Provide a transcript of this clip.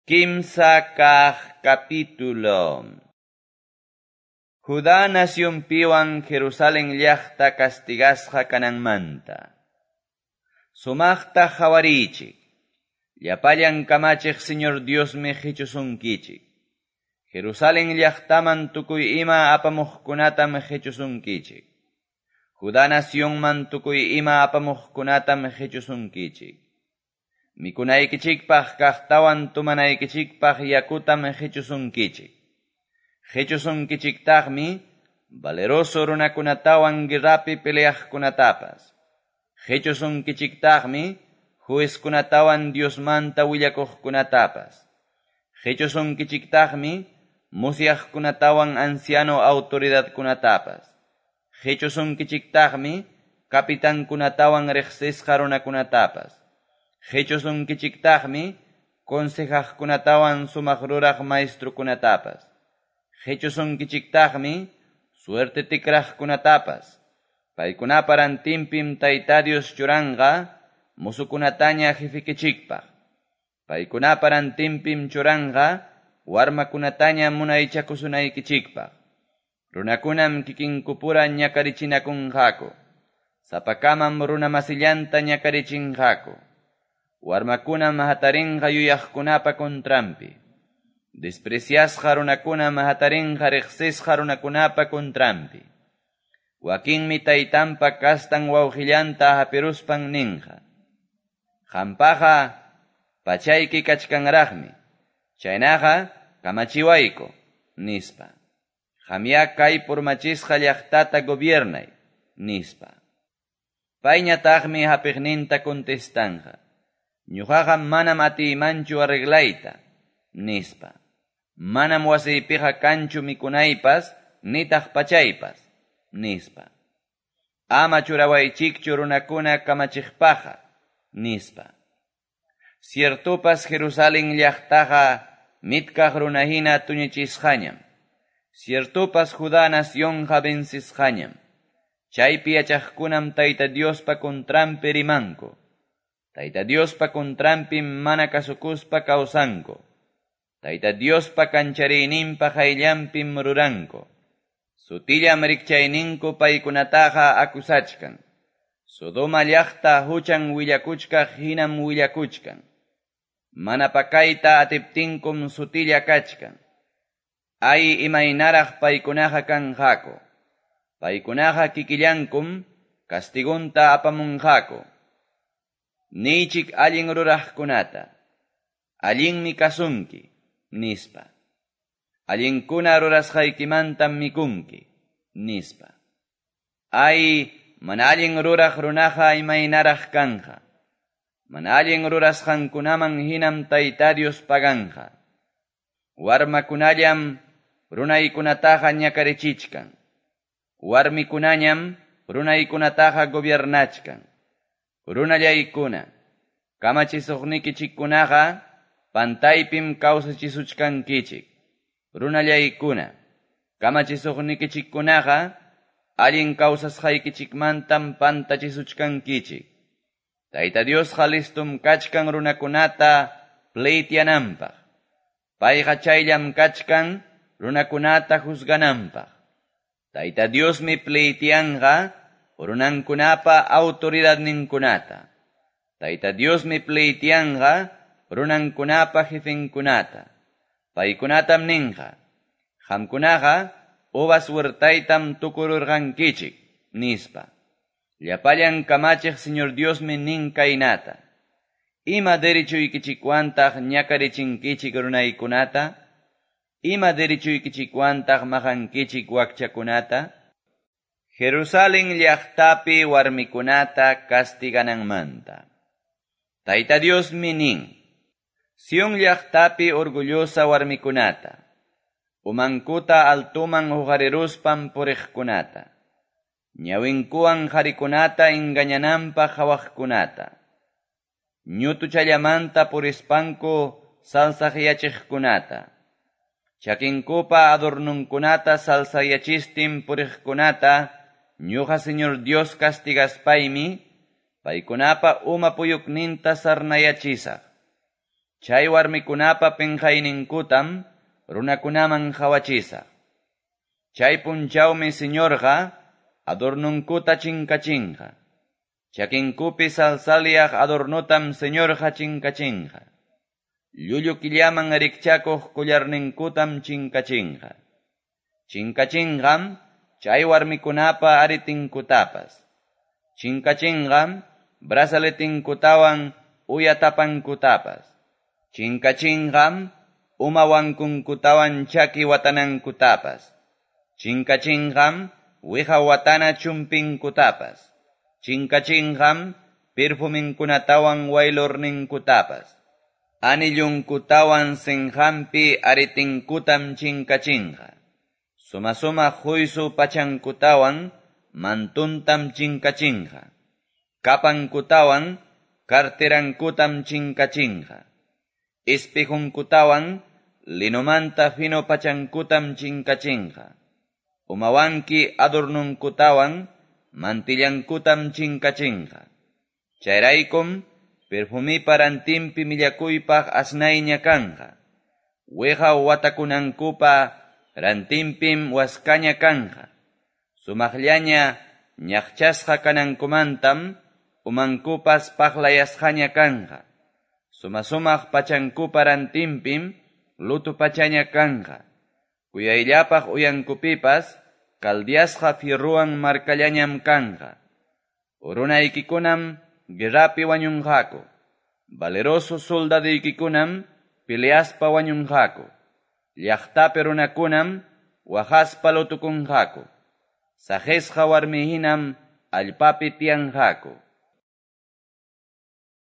Kimsa kaq capítulo. Judá nacionpiwan Jerusalén llaqta castigasqa kananmanta. Sumaqta qhawariychik. Llapallan kamachiq Señor Diosmi qichusunkichik. Jerusalén llaqtaman tukuy ima apamuqkunatam qichusunkichik. Judá nacionman tukuy ima apamuqkunatam qichusunkichik. Mikunaykichikpaq kaqtawan tumanaykichikpaq yakutam qichusunkichik. Qichusunkichiktaqmi valeroso runakunatawan guerrapi peleaqkunatapas. Qichusunkichiktaqmi juezkunatawan Diosmanta willakuqkunatapas. Qichusunkichiktaqmi musyaqkunatawan anciano autoridadkunatapas. Qichusunkichiktaqmi kapitankunatawan riqsisqa runakunatapas. Qichusunkichiktaqmi consejaqkunatawan sumaq ruraq maestrukunatapas. Qichusunkichiktaqmi suerte tikraqkunatapas. Paykunapa rantinpim Tayta Dios churanqa musukunataña jefikichikpaq. Paykunapa rantinpim churanqa warmakunataña munaychakusunaykichikpaq. Runakunam kikinkupura ñakarichinakunqaku. Sapakamam runamasillanta ñakarichinqaku. Warmakunam hatarinqa yuyaqkunapa contranpi. Despreciasqa runakunam hatarinqa riqsisqa runakunapa contranpi. Wakinmi taytanpa kastan wawqillanta hapiruspan ninqa. Qampaqa pachayki kachkanraqmi. Chaynaqa kamachiwayku, nispa. Qamya kay purmachisqa llaqtata gobiernay, nispa. Payñataqmi hapiqninta contestanqa. Ñuqaqa manam atiymanchu arreglayta, nispa. Manam wasiypiqa kanchu mikunaypas, nitaq pachaypas, nispa. Ama churawaychikchu runakuna kamachiqpaqqa, nispa. Ciertopas Jerusalén llaqtaqa mitkaq runahina tuñichisqañam. Ciertopas Judá nacionqa vencisqañam. Chaypi yachaqkunam Tayta Diospa contranpi rimanku. Tayta Diospa contranpim mana kasukuspa kawsanku. Tayta Diospa kanchariyninpa qayllanpim ruranku. Sutillam rikchayninku paykunataqa akusachkan. Sodoma llaqta huchan willakuchkaq hinam willakuchkan. Mana pakayta atiptinkum sutilla kachkan. Ay imaynaraq paykunaqa kanqaku. Paykunaqa kikillankum kastigunta apamunqaku. Niychik allin ruraqkunata. Allinmi kasunki, nispa. Allinkuna rurasqaykimantam mikunki, nispa. Ay, mana allin ruraq runaqa imaynaraq kanqa. Mana allin rurasqankunaman hinam Tayta Dios paganqa. Warmakunallam runaykunataqa ñakarichichkan. Warmikunañam runaykunataqa gobiernachkan. Runallaykuna, kamachisuqnikichikkunaqa pantaypim kawsachisuchkankichik. Runallaykuna, kamachisuqnikichikkunaqa allin kawsasqaykichikmantam pantachisuchkankichik. Tayta Diosqa listum kachkan runakunata pleityananpaq. Payqa chayllam kachkan runakunata juzgananpaq. Tayta Diosmi pleityanqa runankunapa autoridadninkunata. Tayta Diosmi pleityanqa runankunapa jefenkunata. Paykunatam ninqa. Qamkunaqa uvas huertaytam tukururqankichik, nispa. Llapallan kamachiq Señor Diosmi nin kaynata. Ima derechuykichikwantaq ñakarichinkichik runaykunata? Ima derechuykichikwantaq maqankichik wakchakunata? Jerusalén llaqtapi warmikunata castigananmanta. Tayta Diosmi nin, Sion llaqtapi orgullosa warmikunata, umankuta altuman huqariruspan puriqkunata, ñawinkuwan qharikunata engañananpaq qhawaqkunata, ñutuchallamanta purispanku salsaqyachiqkunata, chakinkupa adornunkunata salsayachistin puriqkunata, ñuqa Señor Dios castigaspaymi, paykunapa uma puyukninta sarnayachisaq. Chay warmikunapa penqayninkutam runakunaman qawachisaq. Chay punchawmi Señorqa adornunkuta chinkachinqa. Chakinkupi salsalyaq adornotam Señorqa chinkachinqa. Llullu killaman rikchakuq collarninkutam chinkachinqa. Chinkachinqam chay warmikunapa aretinkutapas. Chinkachinqam brazaletinkutawan uya tapankutapas. Chinkachinqam uma wankunkutawan chaki watanankutapas. Chinkachinqam wiqa watana chumpinnkutapas. Chinkachinqam perfuminkunatawan waylurninkutapas. Anillunkutawan sinqanpi aretinkutam chinkachinqa. Suma-sumaq huysu pachankutawan mantuntam chinkachinqa. Kapankutawan carterankutam chinkachinqa. Espejunkutawan linomanta fino pachankutam chinkachinqa. Umawanki adornunkutawan mantillankutam chinkachinqa. Chayraykum perfumipa rantinpi millakuypaq asnayña kanqa. Wiqa watakunankupa rantinpim waskaña kanqa. Sumaqllaña ñaqchasqa kanankumantam umankupas paqlayasqaña kanqa. Suma-sumaq pachankupa rantinpim luto pachaña kanqa. Kuyayllapaq uyankupipas caldeasqa fierrowan markallañam kanqa. Runaykikunam guerrapi wañunqaku. Valeroso soldaduykikunam peleaspa wañunqaku. Llaqtapi runakunam waqaspa lutukunqaku. Saqisqa warmi hinam allpapi tiyanqaku.